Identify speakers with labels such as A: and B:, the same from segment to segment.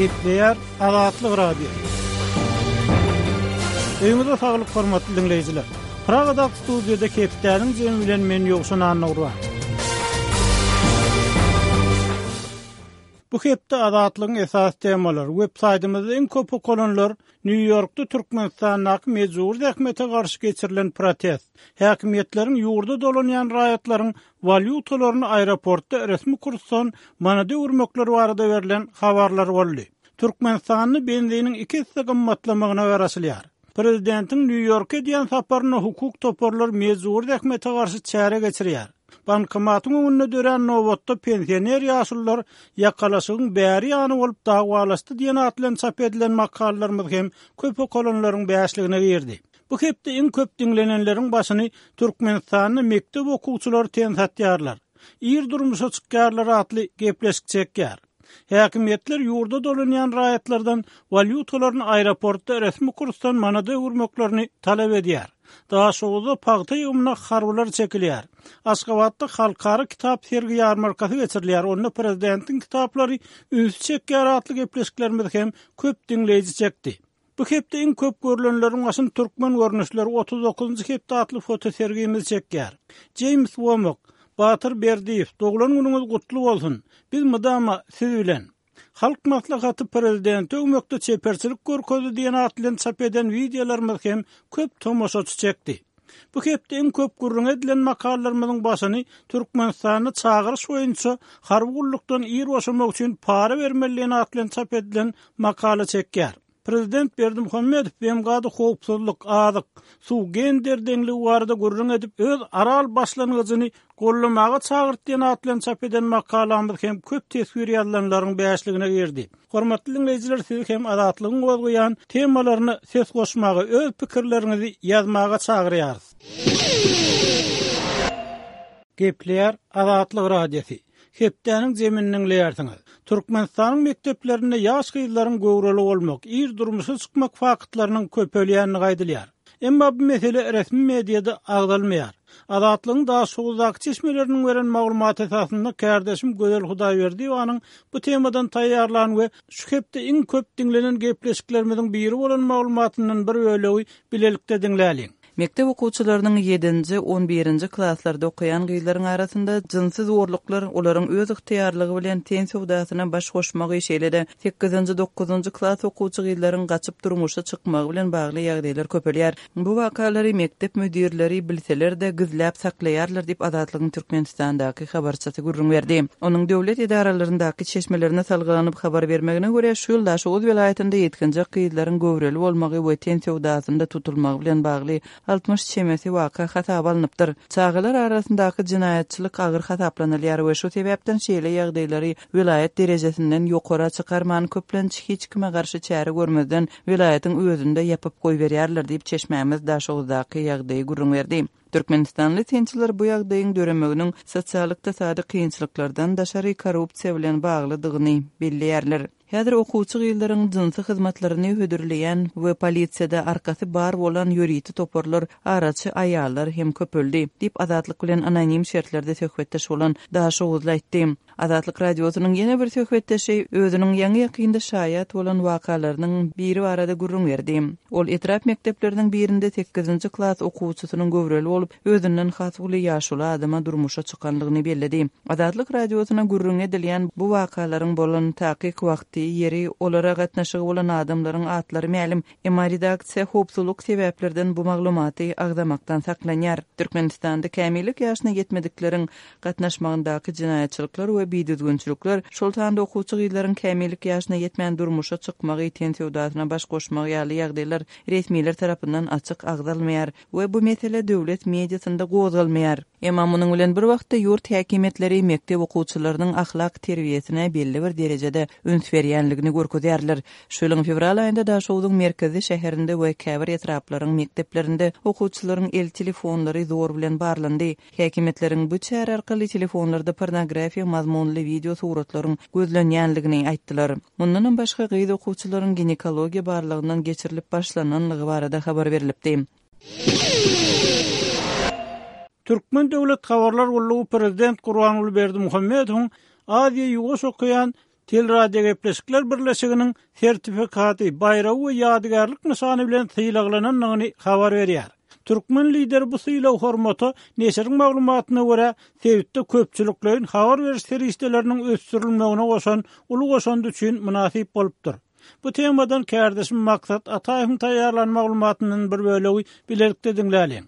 A: Gepleýär Azatlyk Radiosy. Öýüňize saglyk hormatly diňleýjiler. Pragadaky studiýada hepdäniň jemi bilen men Ýowşan Annagurban. Bu hepde Azatlygyň esasy temalary, web saýtymyzda iň köp okalanlar Nýu-Ýorkda Türkmenistandaky mejbury zähmete garşy geçirilen protest, häkimiýetleriň ýurda dolanýan raýatlaryň walýutalaryny aeroportda resmi kursdan manada öwürmekleri barada berlen habarlar boldy. Türkmenistanda benziniň iki esse gymmatlamagyna garaşylýar. Prezidentiň Nýu-Ýorka edýän saparynda hukuk toparlar mejbury zähmete garşy çäre geçirýär. Bankomatyň öňünde dörän nobatda pensioner ýaşulular ýakalaşygyň bäri ýany bolup dawalaşdy diýen at bilen çap edilen makalalarymyz hem köp okalanlaryň bäşligine girdi. Bu hepde iň köp diňlenenleriň başyny Türkmenistanda mekdep okuwçylary ten satýarlar, ir durmuşa çykýarlar atly gepleşik çekýär. Häkimiýetler ýurda dolanýan raýatlardan walýutalaryny aeroportda resmi kursdan manada öwürmeklerini talap edýär. Daşoguzda pagta ýygymyna harbylar çekilýär. Aşgabatda halkara kitap sergi-ýarmarkasy geçirilýär, onda prezidentiň kitaplary ünsi çekýär atly gepleşiklerimiz hem köp diňleýji çekdi. Bu hepde iň köp görlenleriň başyny Türkmen görnüşleri 39-njy hepde atly fotosergimiz çekýär. Jeýms Womak, Batyr Berdiýew, doglan günüňiz gutly bolsun! Biz mydama siz bilen! Halk Maslahaty Prezidenti öwmekde çeperçilik görkezdi diýen at bilen çap eden wideolarymyz hem köp tomaşaçy çekdi. Bu hepde iň köp gürrüňi edilen makalalarymyzyň başyny Türkmenistanda çagyryş boýunça harby gullukdan ir boşamak üçin para bermeli diýen at bilen çap edilen makala çekýär. Prezident Berdimuhamedow BMG-da howpsuzlyk, azyk, suw, gender deňligi barada gürrüň edip, öz Aral başlangyjyny goldamaga çagyrdy diýen at bilen çap eden makalamyz hem köp teswir ýazylanlaryň bäşligine girdi. Hormatly diňleýjiler sizi hem Azatlygyň gozgaýan temalaryna ses goşmaga, öz pikirleriňizi ýazmaga çagyrýarys. Gepleýär Azatlyk Radiosy. Hepdäniň jemini diňleýärsiňiz. Türkmenistanyň mekdeplerinde ýaş gyzlaryň göwreli bolmak, ir durmuşa çykmak faktlarynyň köpelýändigi aýdylýar. Emma bu mesele resmi mediada agzalmaýar. Azatlygyň Daşoguzdaky çeşmeleriniň beren maglumaty esasynda kärdeşim Gözel Hudaýberdiýewanyň bu temadan taýýarlan we şu hepde iň köp diňlenen gepleşiklerimiziň biri bolan maglumatyndan bir bölegi bilelikde diňläliň.
B: Mekdep okuwçylarynyň ýedinji, on birinji klaslarda okaýan gyzlaryň arasynda jynsy zorluklar, olaryň öz ygtyýarlygy bilen ten söwdasyna baş goşmagy, şeýle-de sekizinji, dokuzynjy klas okuwçy gyzlaryň gaçyp durmuşa çykmagy bilen bagly ýagdaýlar köpelýär. Bu wakalary mekdep müdirleri bilseler-de, gizläp saklaýarlar diýip, Azatlygyň Türkmenistandaky habarçysy gürrüň berdi. Onuň döwlet edaralaryndaky çeşmelerine salgylanyp habar bermegine görä, şu ýyl Daşoguz welaýatynda ýetginjek gyzlaryň göwreli bolmagy we ten söwdasynda tutulmagy bilen bagly 60 çemesi waka hasaba alnypdyr. Çagalar arasyndaky jenaýatçylyk agyr hasaplanylýar we şu sebäpden şeýle ýagdaýlary welaýat derejesinden ýokara çykarman, köplenç hiç kime garşy çäre görmezden welaýatyň özünde ýapyp goýberýärler diýip, çeşmämiz Daşoguzdaky ýagdaýy gürrüň berdi. Türkmenistanly synçylar bu ýagdaýyň döremeginiň sosial-ykdysady kynçylyklardan daşary korrupsiýa bilen baglydygyny belleýärler. Häzir okuwçy gyzlaryň jynsy hyzmatlaryny hödürleýän we polisiýada arkasy bar bolan ýörite toparlar, araçy aýallar hem köpeldi, diýip, Azatlyk bilen anonim şertlerde söhbetdeş bolan daşoguzly aýtdy. Azatlyk Radiosynyň ýene bir söhbetdeşi özüniň ýaňy-ýakynda şaýat bolan wakalarynyň biri barada gürrüň berdi. Ol etrap mekdepleriniň birinde sekizinji klas okuwçysynyň göwreli bolup, özünden has uly ýaşuly adama durmuşa çykanlygyny belledi. Azatlyk Radiosyna gürrüňi edilýän bu wakalaryň bolan takyk wagty, ýeri, olara gatnaşygy bolan adamlaryň atlary mälim. Emma redaksiýa howpsuzlyk sebäplerden bu maglumaty agzamakdan saklanýar. Türkmenistanda kämillik ýaşyna ýetmedikleriň gatnaşmagyndaky jenaýatçylyklar we bidüzgünçilikler, şol sanda okuwçy gyzlaryň kämillik ýaşyna ýetmän durmuşa çykmagy, ten söwdasyna baş goşmagy ýaly ýagdaýlar resmiler tarapyndan açyk agzalmaýar we bu mesele döwlet mediasynda gozgalmaýar. Emma munuň bilen bir wagtda ýurt häkimiýetleri mekdep okuwçylarynyň ahlak terbiýesine belli bir derejede üns berýänligini görkezýärler. Şu ýylyň fewral aýynda Daşogzuň merkezi şäherinde we käbir etraplaryň mekdeplerinde okuwçylaryň el telefonlary zor bilen barlandy. Häkimiýetleriň bu çäre arkaly telefonlarda pornografiýa mazmunly wideo suratlaryň gözlenýänligini aýtdylar. Mundanam başga gyz okuwçylaryň ginekologiýa barlagyndan geçirilip başlananlygy barada habar berlipdi.
A: Türkmen döwlet habarlar gullugy prezident Gurbanguly Berdimuhamedowyň Aziýa-Ýuwaş okean. Teleradiogepleşikler birleşiginiň sertifikaty, baýragy we ýadygärlik nyşany bilen sylaglanandygyny habar berýär. Türkmen Lideri bu sylag-hormata, neşiriň maglumatyna görä, sebitde köpçülikleýin habar beriş serişdeleriniň ösdürilmegine goşan uly goşandy üçin mynasyp bolupdyr. Bu temadan kärdeşim Maksat Ataýewiň taýýarlan maglumatyndan bir bölegi bilelikde diňläliň.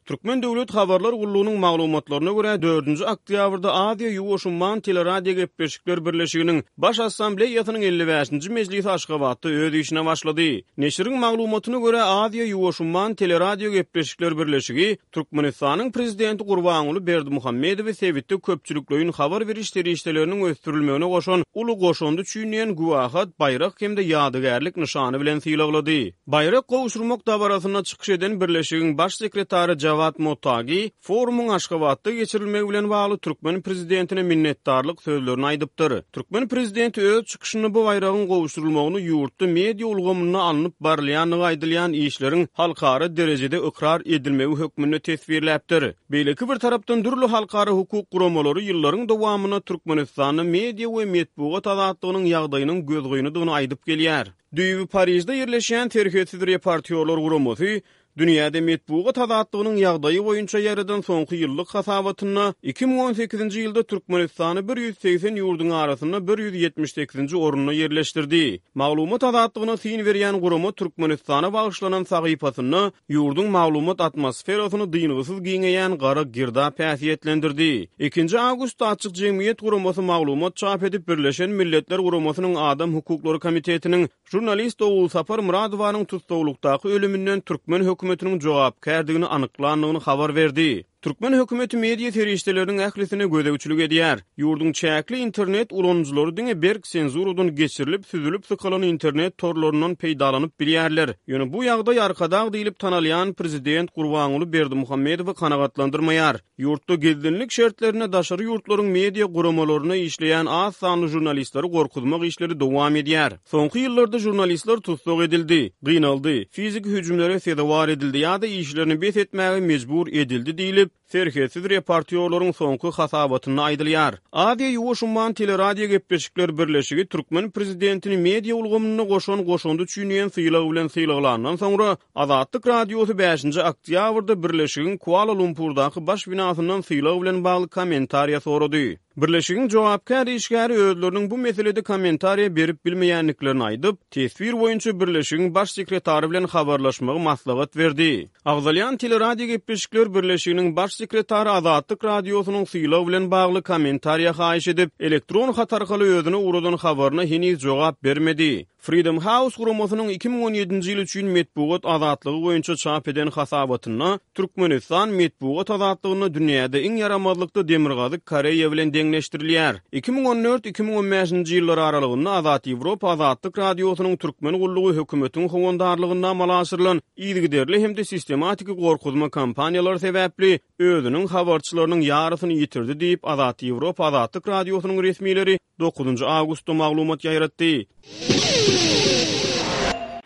C: Türkmen döwlet habarlar gullugynyň maglumatlaryna görä, dördünji oktýabrda Aziýa-Ýuwaş umman teleradiogepleşikler birleşiginiň Baş Assambleýasynyň 55-nji mejlisi Aşgabatda öz işine başlady. Neşiriň maglumatyna görä, Aziýa-Ýuwaş umman teleradiogepleşikler birleşigi Türkmenistanyň Prezidenti Gurbanguly Berdimuhamedowy sebitde köpçülikleýin habar beriş serişdeleriniň ösdürilmegine goşan uly goşandy üçin diýen güwähat, baýrak hem-de ýadygärlik nyşany bilen sylaglady. Baýrak gowşurmak dabarasynda çykyş eden Birleşigiň Baş sekretary Jawad Mottagi forumyň Aşgabatda geçirilmegi bilen bagly türkmen prezidentine minnetdarlyk sözlerini aýdypdyr. Türkmen prezidenti öz çykyşynda bu baýragyň gowşurylmagyny ýurtda media ulgamynda alnyp barylýandygy aýdylýan işleriň halkara derejede ykrar edilmegi hökmünde teswirläpdir. Beýleki bir tarapdan dürli halkara hukuk guramalary ýyllaryň dowamynda Türkmenistanda media we metbugat azatlygynyň ýagdaýynyň gözgynydygyny aýdyp gelýär. Düýbi Parižde ýerleşýän Serhetsiz reportýorlar guramasy dünýäde metbugat azatlygynyň ýagdaýy boýunça ýaýradan soňky ýyllyk hasabatynda 2018-nji ýylda Türkmenistany 180 ýurduň arasynda 178-nji orunda ýerleşdirdi. Maglumat azatlygyna syn berýän gurama Türkmenistana bagyşlanan sahypasynda Ýurduň maglumat atmosferasyny dyngysyz giňeýän gara girdap häsiýetlendirdi. Ikinji awgustda Açyk jemgyýet guramasy maglumat çap edip, Birleşen Milletler Guramasynyň Adam hukuklary komitetiniň žurnalist Ogulsapar Myradowanyň tussaglykdaky ölüminden türkmen hökümetiniň jogapkärdigini anyklandygyny habar berdi. Türkmen hökümeti media serişdeleriniň ählisine gözegçilik edýär. Ýurduň çäkli internet ulanyjylary diňe berk senzuradan geçirilip, süzülip sykalan internet torlaryndan peýdalanyp bilýärler. Ýöne bu ýagdaý Arkadag diýlip tanalýan prezident Gurbanguly Berdimuhamedowy kanagatlandyrmaýar. Ýurtda gizlinlik şertlerinde daşary ýurtlaryň media guramalarynda işleýän az sanly žurnalistleri gorkuzmak işleri dowam edýär. Soňky ýyllarda žurnalistler tussag edildi, gynaldy, fiziki hüjümlere sezewar edildi ýa-da işlerini bes etmäge mejbur edildi diýlip, Serhetsiz reportýorlaryň soňky hasabatynda aýdylýar. Aziýa-Ýuwaş umman teleradiogepleşikler birleşigi türkmen prezidentini media ulgamynda goşan goşandy üçin diýen sylag bilen sylaglandan soňra, Azatlyk Radiosy bäşinji oktýabrda birleşigiň Kuala-Lumpurdaky baş binasyndan sylag bilen bagly kommentariýa sorady. Birleşigiň jogapkär işgäri özleriniň bu meselede kommentariýa berip bilmeýändiklerini aýdyp, teswir boýunça birleşigiň baş sekretary bilen habarlaşmagy maslahat berdi. Agzalýan teleradiogepleşikler birleşiginiň baş sekretary Azatlyk Radiosynyň sylag bilen bagly kommentariýa haýyş edip, elektron hat arkaly özüne ugradan habaryna heniz jogap bermedi. Freedom House guramasynyň 2017-nji ýyl üçin metbugat azatlygy boýunça çap eden hasabatynda Türkmenistan metbugat azatlygynda dünýäde iň ýaramazlykda Demirgazyk Koreýa bilen deňleşdirilýär. 2014, 2015-nji ýyllar aralygynda Azat Ýewropa Azatlyk Radiosynyň türkmen gullugy hökümetiň howandarlygynda amala aşyrylan yzygiderli hem-de sistematiki gorkuzma kampaniýalary sebäpli özüniň habarçylarynyň ýarysyny ýitirdi diýip, Azat Ýewropa Azatlyk Radiosynyň resmileri dokuzynjy awgustda maglumat ýaýratdy.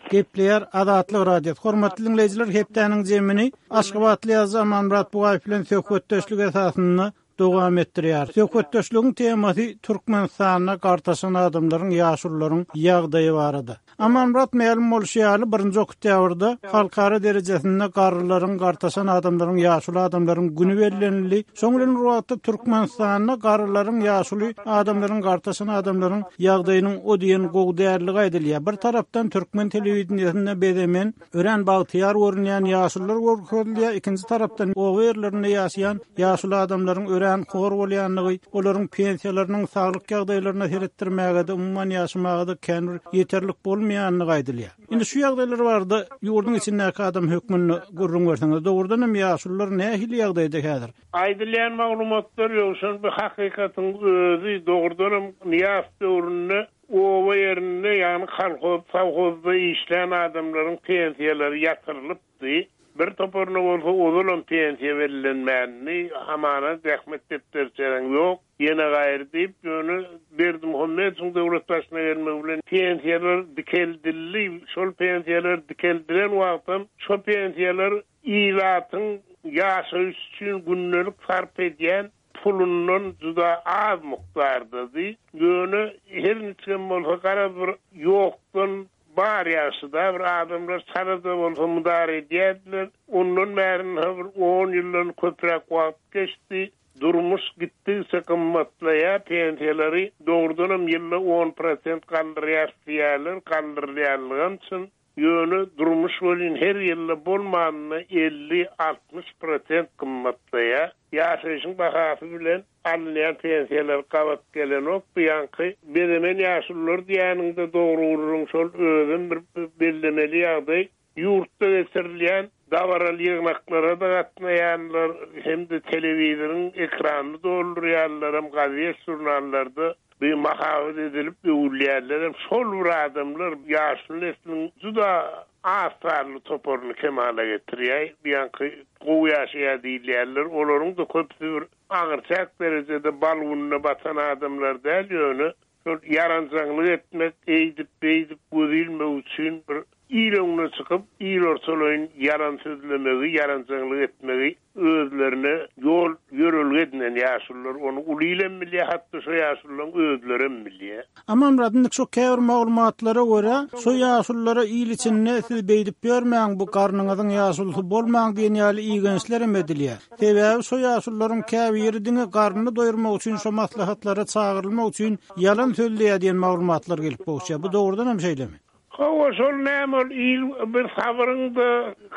A: Gepleýär Azatlyk Radiosy. Hormatly diňleýjiler, hepdäniň jemini aşgabatly ýazyjy Amanmyrat Bugaýew bilen söhbetdeşlik esasynda dowam etdirýäris. Söhbetdeşligiň temasy Türkmenistanda gartaşan adamlaryň, ýaşulularyň ýagdaýy barada. Amanmyrat mälim bolşy ýaly, birinji oktýabrda halkara derejesinde garrylaryň, gartaşan adamlaryň, ýaşuly adamlaryň güni bellenildi. Şoň bilen bir wagtda Türkmenistanda garrylaryň, ýaşuly adamlaryň, gartaşan adamlaryň ýagdaýynyň o diýen gowy däldigi aýdylýar. Bir tarapdan türkmen telewideniýesinde bezemen, örän bagtyýar görünýän ýaşulular görkezilýär, ikinji tarapdan oba ýerlerinde ýaşaýan ýaşuly adamlaryň örän hor bolýandygy, olaryň pensiýalarynyň saglyk ýagdaýlaryna seretdirmäge-de, umuman ýaşamaga-da kän bir ýeterlik bolmaýandygy aýdylýar. Indi şu ýagdaýlar barada ýurduň içindäki adam hökmünde gürrüň berseňiz, dogrudan hem ýaşulular nähili ýagdaýda häzir?
D: Aýdylýan maglumatlar Ýowşan bu hakykatyň özi, dogrudanam Nyýazow döwründe Oba ýerinde, ýagny kolhoz, sowhozda işlän adamlaryň pensiýalary ýatyrylypdy. Bir toparyna bolsa ozalam pensiýa bellenmändi. Hamana zähmet depderçäň ýok, ýene gaýry diýip, ýöne Berdimuhamedowyň döwlet başyna gelmegi bilen pensiýalar dikeldildi. Şol pensiýalar dikeldilen wagtam şo pensiýalar ilatyň ýaşaýyş üçin gündelik sarp edýän. pulundan juda az mukdardady. Ýöne her niçigem bolsa garaz bir ýokdan bar ýagşy-da, bir adamlar çala-da bolsa mydar edýärdiler. Ondan bäri ynha bir on ýyldan köpräk wagt geçdi. Durmuş gitdigiçe gymmatlaýar, pensiýalary dogrudanam ýylda on prosent galdyrýarys diýýärler, galdyrylýanlygam çyn. Ýöne durmuş welin her ýylda bolmanynda 50, 60 prosent gymmatlaýar. Ýaşaýşyň bahasy bilen alynýan pensiýalar gabat gelenok. Bu ýaňky bezemen ýaşulular diýýäniňde dogry gürrüň şol özem bir bellemeli ýagdaý. Ýurtda geçirilýän dabaraly ýygnaklara-da gatnaýanlar hem-de telewizoryň ekranyny doldurýanlaram, gazet-žurnallarda bu mahabat edilip öwülýänlerem şol bir adamlar ýaşuly nesliň juda az sanly toparyny kemala getirýär. Bu ýaňky gowy ýaşaýar diýilýänler, olaryň-da köpüsi bir aňyrçäk derejede bal gününe batan adamlar däl, ýöne Şol ýaranjaňlyk etmek, eýdip-beýdip göz ilmek üçin bir il öňüne çykyp, il ortalaýyn ýalan sözlemegi, ýaranjaňlyk etmegi özlerine ýol, ýörelge edinen ýaşulular. Ony uly ilem bilýär, hatda şo ýaşulularyň özlerem bilýär.
A: Amanmyrat, indi şo käbir maglumatlara görä, şo ýaşululara il içinde siz beýdip ýörmäň, bu garnyňyzyň ýaşulusy bolmaň diýen ýaly igençlerem edilýär. Sebäbi şo ýaşulularyň käbiri diňe garnyny doýurmak üçin şo maslahatlara çagyrylmak üçin ýalan sözleýär diýen maglumatlar gelip gowuşýar. Bu dogrudan hem şeýlemi?
D: Hawa, şol näme ol il bir sabyryň-da,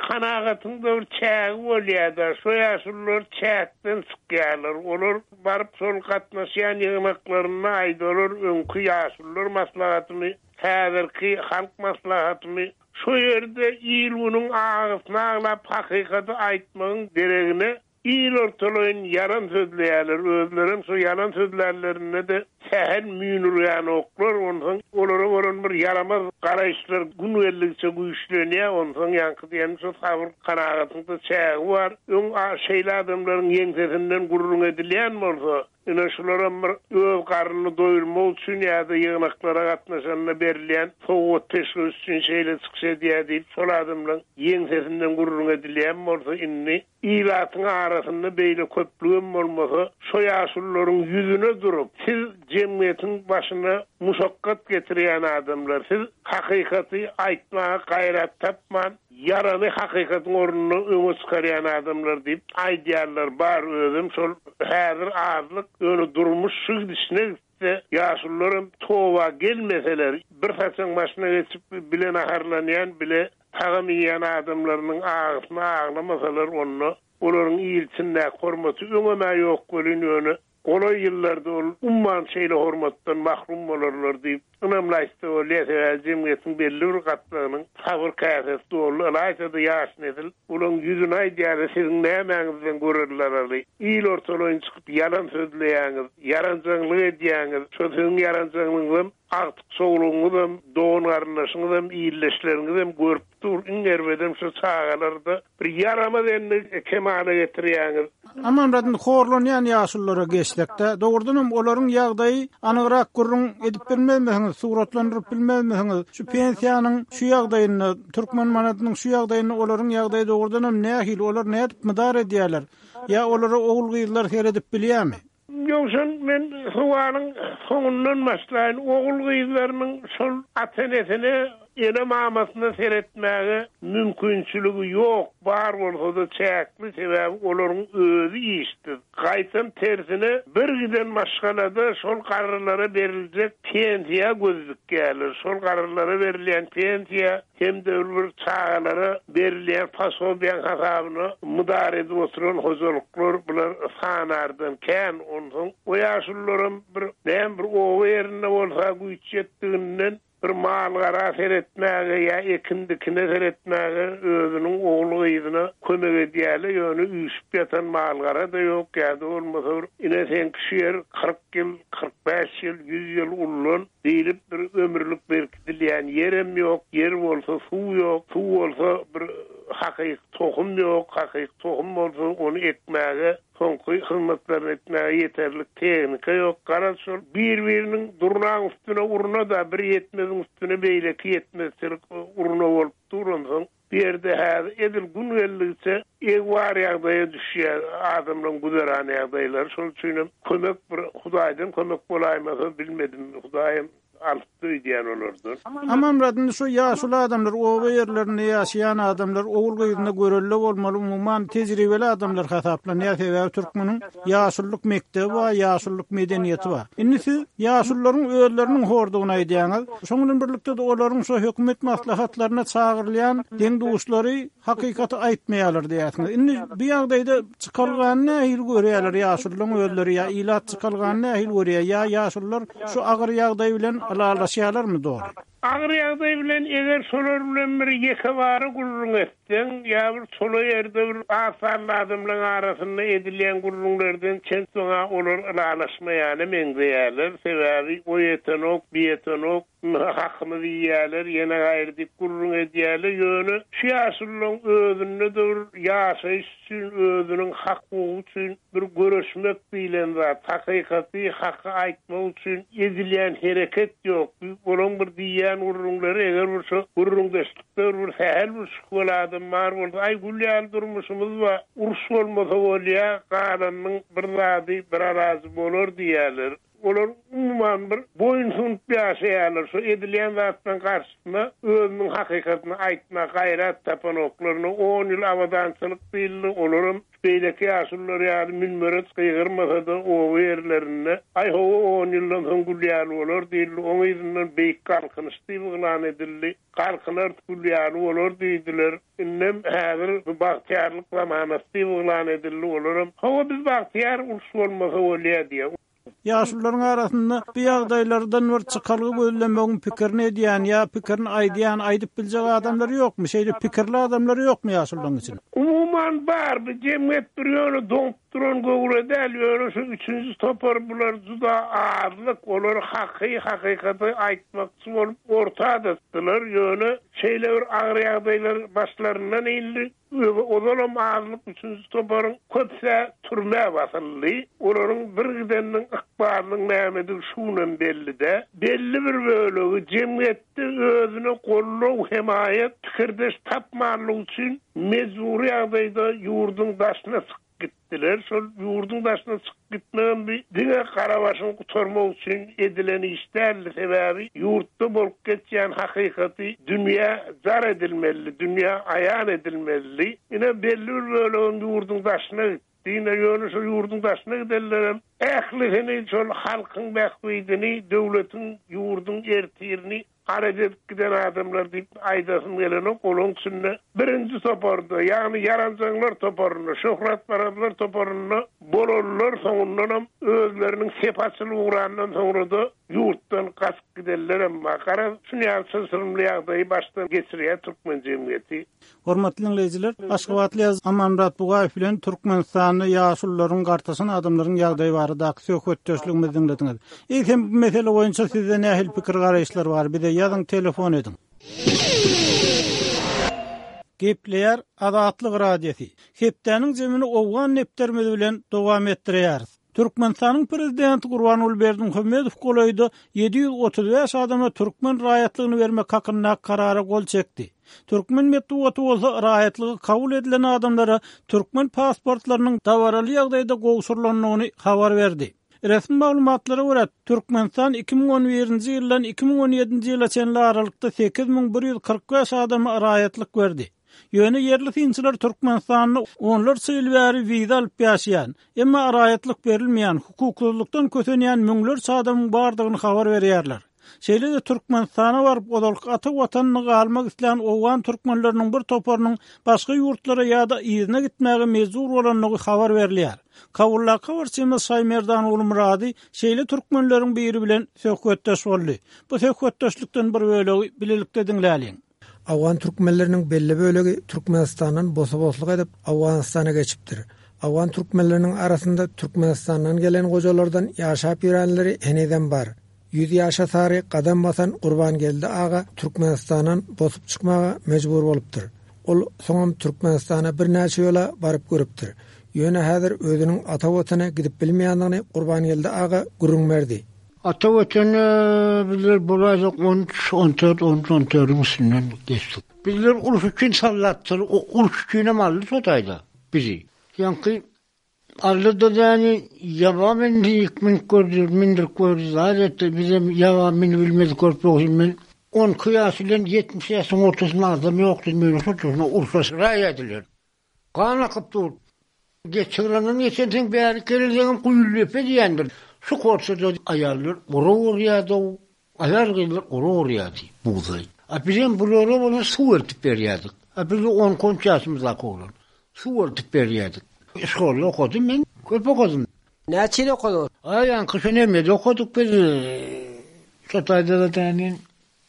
D: kanagatyň-da bir çägi bolýar-da. Şo ýaşulular çäkden çykýarlar. Olar baryp şol gatnaşýan ýygnaklarynda aýdalar öňki ýaşulular maslahatymy, häzirki halk maslahatymy Şo ýerde il-günüň agysyny aglap hakykaty aýtmagyň deregine il ortalaýyn ýalan sözleýärler, özlerem şo ýalan sözlänlerinde-de sähel müýnürgänoklar, onsoň olara bolan bir ýaramaz garaýyşlar gün geldigiçe güýçlenýär, onsoň ýaňky diýenim şo sabyr-kanagatyň-da çägi bar, öň şeýle adamlaryň ýeňsesinden gürrüň edilýän bolsa, Ine, şularam bir öz garnyny doýurmak üçin ýa-da ýygnaklara gatnaşanda berilýän sowgat-peşgeş üçin şeýle çykyş edýär diýip, şol adamlaryň ýeňsesinden gürrüň edilýän bolsa, indi ilatyň arasynda beýle köplügem bolmasa, şo ýaşulularyň ýüzüne durup, siz jemgyýetiň başyna muşakgat getirýän adamlar, siz hakykaty aýtmaga gaýrat tapman, Ýarany hakykatyň ornuna öňe çykarýan adamlar diýip aýdýanlar bar özem şol häzir azlyk ýöne durmuş şu gidişine gitse ýaşulularam toba gelmeseler bir saçaň başyna geçip bile naharlanýan bile tagam iýýän adamlarynyň agysyny aglamasalar onda olaryň il içindäki hormaty öňem-ä ýok welin ýöne Golaý ýyllarda ol umuman şeýle hormatdan mahrum bolarlar diýip, ynamly aýtsa bolýar, sebäbi jemgyýetiň belli bir gatlagynyň sabyr käsesi doldy, ylaýta-da ýaş nesil olaň ýüzüne aýdýarlar, siziň nämäňizden görelde alaly, il ortalaýyn çykyp ýalan sözleýäňiz, ýaranjaňlyk edýäňiz, şo siziň ýaranjaňlygyňyzam agtyk-çowlugyňyzam, dogan-garyndaşyňyzam, ildeşleriňizem görüp dur, iň erbedem şo çagalarda Bir ýaramaz endik kemala getirýäňiz.
A: Amanmyrat indi horlanýan ýaşululara geçsekde, dogrudanam olaryň ýagdaýy anygrak gürrüň edip bilmezmisiňiz, suratlandyryp bilmezmisiňiz? Şu pensiýanyň şu ýagdaýynda, türkmen manadynyň şu ýagdaýynda olaryň ýagdaýy dogrudanam nähili, olar nädip mydar edýärler? Ýa olara ogul-gyzlar seredip bilýärmi?
D: Ýowşan, men sowalyň soňundan başlaýyn. Ogul-gyzlarynyň şol ata-enesine, ene-mamasyna seretmäge mümkinçiligi ýok, bar bolsa-da çäkli, sebäbi olaryň özi işsiz. Gaýtam tersine, bir giden maşgalada şol garrylara beriljek pensiýa göz dikýärler. Şol garrylara berilýän pensiýa hem-de bir çagalara berilýän posobiýaň hasabyna mydar edip oturan hojalyklar bular sanardan kän. Onsoň o ýaşulularam bir näme bir oba ýerinde bolsa güýç ýetdiginden bir mal-gara seretmäge ýa ekin-dikine seretmäge özüniň ogul-gyzyna kömek edýärler, ýöne üýşüp ýatan mal-gara-da ýok ýa-da bolmasa bir ine seňki şu ýer 40 ýyl, 45 ýyl, ýüz ýyl ullan diýlip bir ömürlik berkidilýän ýerem ýok, ýer bolsa suw ýok, suw bolsa bir hakyky tohum ýok, hakyky tohum bolsa ony ekmäge, soňky hyzmatlaryny etmäge ýeterlik tehnika ýok. Garaz şol bir-biriniň durnaň üstüne urna-da, bir ýetmeziň üstüne beýleki ýetmezçilik urna bolup dur onsoň. Bu ýerde häzir edil gün geldigiçe egbar ýagdaýa düşýär adamlaryň güzeran ýagdaýlary. Şonuň üçinem kömek bir Hudaýdan kömek bolaýmasa bilmedim. Hudaýam alypdy öýdýän olardan.
A: Amanmyrat indi şu ýaşuly adamlar oba ýerlerinde ýaşaýan adamlar ogul gyzyna görelde bolmaly umuman tejribeli adamlar hasaplanýar sebäbi türkmeniň ýaşulyk mekdebi bar ýaşulyk medeniýeti bar. Indi siz ýaşulularyň özleriniň hordugyny aýdýaňyz şoň bilen birlikde-de olaryň şo hökümet maslahatlaryna çagyrylýan deň-duşlary hakykaty aýtmaýarlar diýýärsiňiz. Indi bu ýagdaýda çykalgany nähili görýärler ýaşulularyň özleri ýa ilat çykalgany nähili görýär ýa ýaşulular şu agyr ýagdaý bilen ylalaşýarlarmy doly?
D: Agyr ýagdaý bilen eger şolar bilen bir ýekebara gürrüň etseň ýa bir çola ýerde bir az sanly adamlaryň arasynda edilýän gürrüňlerden çen tutsaň-a olar ylalaşmaýana meňzeýärler. Sebäbi o ýetenok, bu ýetenok. Hakymyzy iýýärler, ýene gaýry diýip gürrüň edýärler. Ýöne şu ýaşulularyň özünde-de bir ýaşaýyş üçin, özüniň hak-hukugy üçin bir göreşmek diýlen zat, hakykaty, haky aýtmak üçin edilýän hereket ýok. Olaryň bir diýýän gürrüňleri eger bir şo gürrüňdeşlikde bir sähel bir şübheli adam bar bolsa, aý gül ýaly durmuşymyz bar, uruş bolmasa bolýar, galanynyň bir zady, bir alajy bolar diýýärler. Olar umuman bir boýun sunup ýaşaýarlar. Şu edilýän zatlaryň garşysyna özüniň hakykatyny aýtmaga gaýrat tapanoklar. Ine, on ýyl abadançylyk diýildi, olaram beýleki ýaşulular ýaly münbere gygyrmasa-da, oba ýerlerinde, Aý, hawa, on ýyldan soň gül ýaly bolar diýildi. Oň yzyndan Beýik Galkynyş diýip yglan edildi. Galkynarys, gül ýaly bolar diýdiler. Indem häzir bu bagtyýarlyk zamanasy diýip yglan edildi. Olaram, Hawa, biz bagtyýar, uruş bolmasa bolýar diýýär.
A: Ýaşulularyň arasynda bu ýagdaýlardan bir çykalga gözlemegiň pikirini edýän ýa pikirini aýdýan, aýdyp biljek adamlar ýokmy? Şeýle pikirli adamlar ýokmy ýaşulularyň içinde?
D: Umuman bar, bu jemgyýet bir ýöne doňup duran göwre däl, ýöne şu üçünji topar bular juda azlyk, olar haky, hakykaty aýtmakçy bolup orta çykdylar, ýöne şeýle bir agyr ýagdaýlar başlaryndan indi. Özi ozalam azlyk üçünji toparyň köpüs-ä türmä basyldy. Olaryň birgideniniň ykbalynyň nämedigi şu günem belli däl. Belli bir bölegi jemgyýetde özüne goldaw, hemaýat, pikirdeş tapmanlygy üçin mejbury ýagdaýda ýurduň daşyna çykyp gitdiler. Şol ýurduň daşyna çykyp gitmegem bir diňe gara başyňy gutarmak üçin edilen iş däldi. Sebäbi ýurtda bolup geçýän hakykaty dünýä jar edilmelidi, dünýä aýan edilmelidi. Ine, belli bir bölegem ýurduň daşyna gitdi. Ine, ýöne şol ýurduň daşyna gidenlerem ählisini şol halkyň bähbidini, döwletiň, ýurduň ertirini Arap edip giden adamlar diýip aýdasym gelenok, olaň içinde birinji toparda, ýagny ýaranjaňlar toparynda, şöhratparazlar toparynda bolanlar soňundanam özleriniň sepi açylyp ugrandan soňra-da ýurtdan gaçyp gidenlerem bar. Garaz, şuny ýaly çylşyrymly ýagdaýy başdan geçirýär türkmen jemgyýeti.
A: Hormatly diňleýjiler, aşgabatly ýazyjy Amanmyrat Bugaýew bilen Türkmenistanda ýaşulularyň, gartaşan adamlaryň ýagdaýy baradaky söhbetdeşligimizi diňlediňiz. Eýsem, bu mesele boýunça sizde nähili pikir-garaýyşlar bar, bize ýazyň, telefon ediň. Gepleýär Azatlyk Radiosy. Hepdäniň jemini owgan depderimiz bilen dowam etdirýäris. Türkmenistanyň Prezidenti Gurbanguly Berdimuhamedow golaýda 735 adama türkmen raýatlygyny bermek hakyndaky Karara gol çekdi. Türkmen metbugaty bolsa raýatlygy kabul edilen adamlara türkmen pasportlarynyň dabaraly ýagdaýda gowşurylandygyny habar berdi. Resmi maglumatlara görä, Türkmenistan 2011-nji ýyldan 2017-nji ýyla çenli aralykda 8145 adama raýatlyk berdi. Ýöne ýerli synçylar Türkmenistanda onlarça ýyl bäri wiza alyp ýaşaýan, emma raýatlyk berilmeýän, hukuksyzlykdan kösenýän müňlerçe adamyň bardygyny habar berýärler. Şeýle-de Türkmenistana baryp, ozalky ata Watanynda galmak islän owgan türkmenleriniň bir toparynyň başga ýurtlara ýa-da yzyna gitmäge mejbur bolandygy habar berilýär. Kabuldaky habarçymyz Şaýmerdan Gulmyrady şeýle türkmenleriň biri bilen söhbetdeş boldy. Bu söhbetdeşlikden bir bölegi bilelikde diňläliň.
E: Owgan türkmenleriniň belli bölegi Türkmenistandan bosa-bosluk edip, Owganystana geçipdir. Owgan türkmenleriniň arasynda Türkmenistandan gelen gojalardan ýaşap ýörenleri henizem bar. Ýüz ýaşa sary gadam basan Gurbangeldi aga Türkmenistandan bosup çykmaga mejbur bolupdyr. Ol soňam Türkmenistana birnäçe ýola baryp görüpdir. Ýöne häzir özüniň ata Watana gidip bilmeýändigini Gurbangeldi aga gürrüň berdi.
F: Ata Watana bizler bolaýsak 13, 14, 13, 14-iň üstünden geçdik. Bizler uruş üçin sallatdyr, uruş üçinem aldy şo taýda bizi. Ýaňky aldy-da däni ýaba mindi, münüp gördi, mündürip gördi, zat etdi. Bizem ýaba münübilmedik görüp ýok men 12 ýaş bilen 70 ýaşyň ortasynda adam ýokdy, meni şo şoňa urşa süräýediler. Gan akyp dur. Geçigrenden geçensoň bäri gelensoňam Guýuldepe diýendir. Şu korçada aýallar ura urýady-ow. Aýal-gyzlar ura urýady bugdaý. A bizem bulara bolsa suw eltip berýärdik. A biz on-iki-on üç ýaşymyzdaky oglan. Suw eltip berýärdik. Şkolda okadym men. Köp okadym.
G: Näçe ýyl okadyňyz?
F: A ýaňky şu nemede okadyk biz. Şo taýda-da dänin.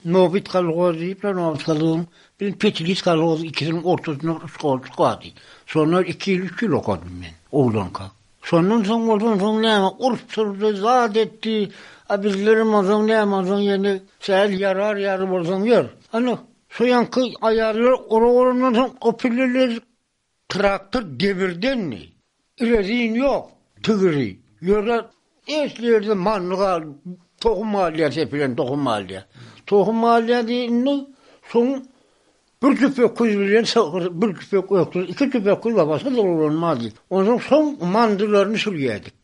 F: Nobit kolhoz diýipler, Nobit kolhozyň bilen Petilis kolhozy ikisiniň ortasynda bir şkolçyk bardy. Şonda iki ýyl, üç ýyl okadym men, oglanka. Şondan soň bolsa onsoň näme, uruş turdy, zat etdi. A bizlerem onsoň näme, onsoň ýene sähel ýarar ýaly bolsaň ýör. Ana, şo ýaňky aýallar orak orandan soň o pilleler Traktor demirdendi. Rezin ýok, tigiri. Ýöne esli ýerde manny gal, tohum galýar, sepilen tohum galýar. Tohum galýar diýende, soň bir jüp öküz bilen sygyr, bir jüp öküz, iki jüp öküz bar, başga dolanmazdy. Onsoň soň mandylaryny sürýärdik.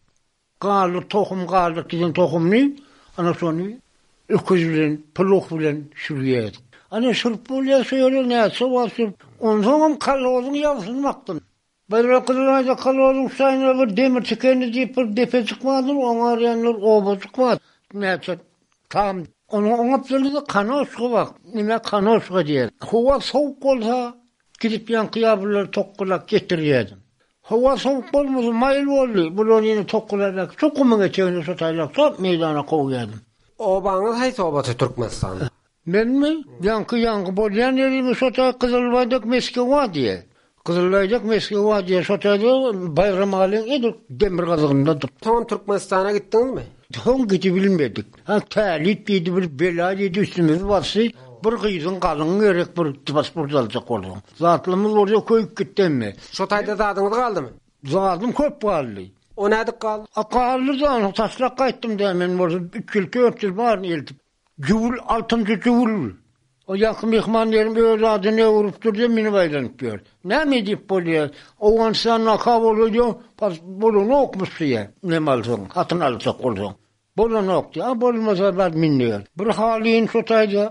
F: Galdyr tohum galdyr diýen tohumyny ana şony öküz bilen plug bilen sürýärdik. Ana sürüp bolýar şo ýere näçe wagt sürüp onsoňam kolhozyň ýagsyny bakdym. Bir Gyzylaýda kolhozyň şaýynda bir demir tikendi diýip bir depejik bardyr oňa arýanlar obajyk bar. Näçe tam onuň oň gapdalynda kanoşka bar. Nime kanoşka diýer. Howa sowuk bolsa Gidip ýaňky ýabylary tokgalap getirýärdim. Howa sowuk bolmasa maýyl boldy, bulary ýene tokgalap äkitip, şo gumuň etegine şo taýlap sap meýdana kowýardym.
G: Obaňyz haýsy obasy Türkmenistanda?
F: Menmi? Ýaňky ýaňky bolýan ýerimiz şo taý Gyzylbaýdak Meskewa diýýär. Gyzylbaýdak Meskewa diýýär, şo taýda Baýramalyň edil demirgazygyndadyr.
G: Soňam Türkmenistana gitdiňizmi?
F: Soň gidibilmedik. Ha, tälit diýdi, bir bela diýdi, üstümizi basdy. Bir gyzyň galyňy gerek bir pasport aljak bolsaň. Zatlymyz bolsa köýüp gitdi hemme.
G: Şo taýda zadyňyz galdymy?
F: Zadym köp galdy.
G: O nädip galdy?
F: A galdy-da, onsoň taşlap gaýtdym-da, men bolsa üç ýyl, dört ýyl baryny eltip. Jüwül, altynjy jüwül. O ýaňky myhman ýerim öz adyny öwrüpdir-de, münüp aýlanyp ýör. Näme edip bolýar? Owganystanda Kabulda diýýär, pas bolanokmyş diýýär, neme alsaň, hatyn aljak bolsaň. Bolanok diýýär. A bolmasa bar münüber. Bir halyny şo taýda,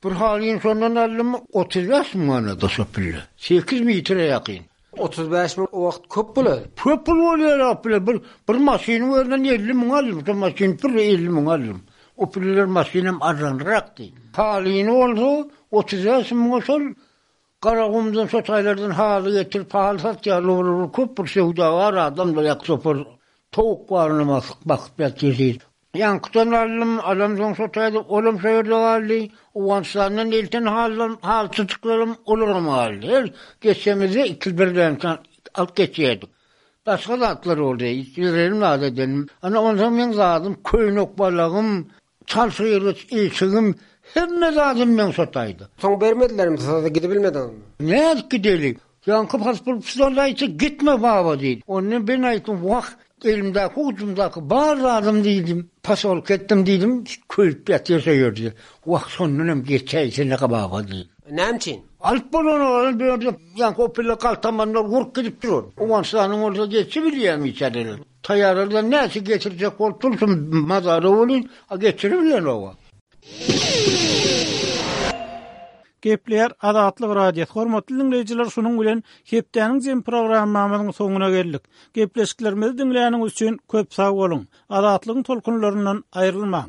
F: bir halyny şondan aldym, 35 müň manada şo pille. Sekiz metre ýakyn.
G: 35 müň o wagt köp pul-a.
F: Köp pul bolýar o pile. Bir, bir maşynyň özünden 50 müň aldym. Şo maşyny pürre 50 müň aldym. O pilleler maşynam arzanrakdy. Halyny bolsa 35 müňe şol Garagumdan şo taýlardan haly getirip haly satýarlar olar köp bir söwdagär adamlar ýa topar towuk barynam asyk bakyp ýatyr diýip. Ýaňkydan aldym, alamsoň şo taýda olam şo ýerde galdy. Owganystandan elten halylam, halyçyjyklarym olaram galdy. Her geçemizde iki birden alyp geçýärdik. Başga zatlar boldy, ýüregim zat edenim. Ana onsoň meň zadym köýnek balagym, Çal sygyryç, eşigim, hemme zadym meň şo taýda.
G: Soň bermedilermi size gidibilmediňizmi?
F: Nädip gideli? Ýaňky pasportçylar aýtsa gitme baba diýdi. Onda men aýtdym, wah, elimdäki ujumdaky bar zadym diýdim, posolka etdim diýdim, köýüp ýatyr şo ýerde. Wah, şondan hem geçäýsene baba diýdi.
G: Näme üçin?
F: Alyp bolanok, bu ýerde ýaňky o pille galtamanlar urup gidip dur. Owganystanyň bolsa geçibilýärmi içeriler? Taýýarlardan näçe geçirjek bolup dursun mazara welin, a geçiribilenok-a.
A: Gepleýär Azatlyk Radiosy. Hormatly diňleýjiler şunuň bilen hepdäniň jem programmamyzyň soňuna geldik. Gepleşiklerimizi diňläniňiz üçin köp sag boluň. Azatlygyň tolkunlaryndan aýrylmaň.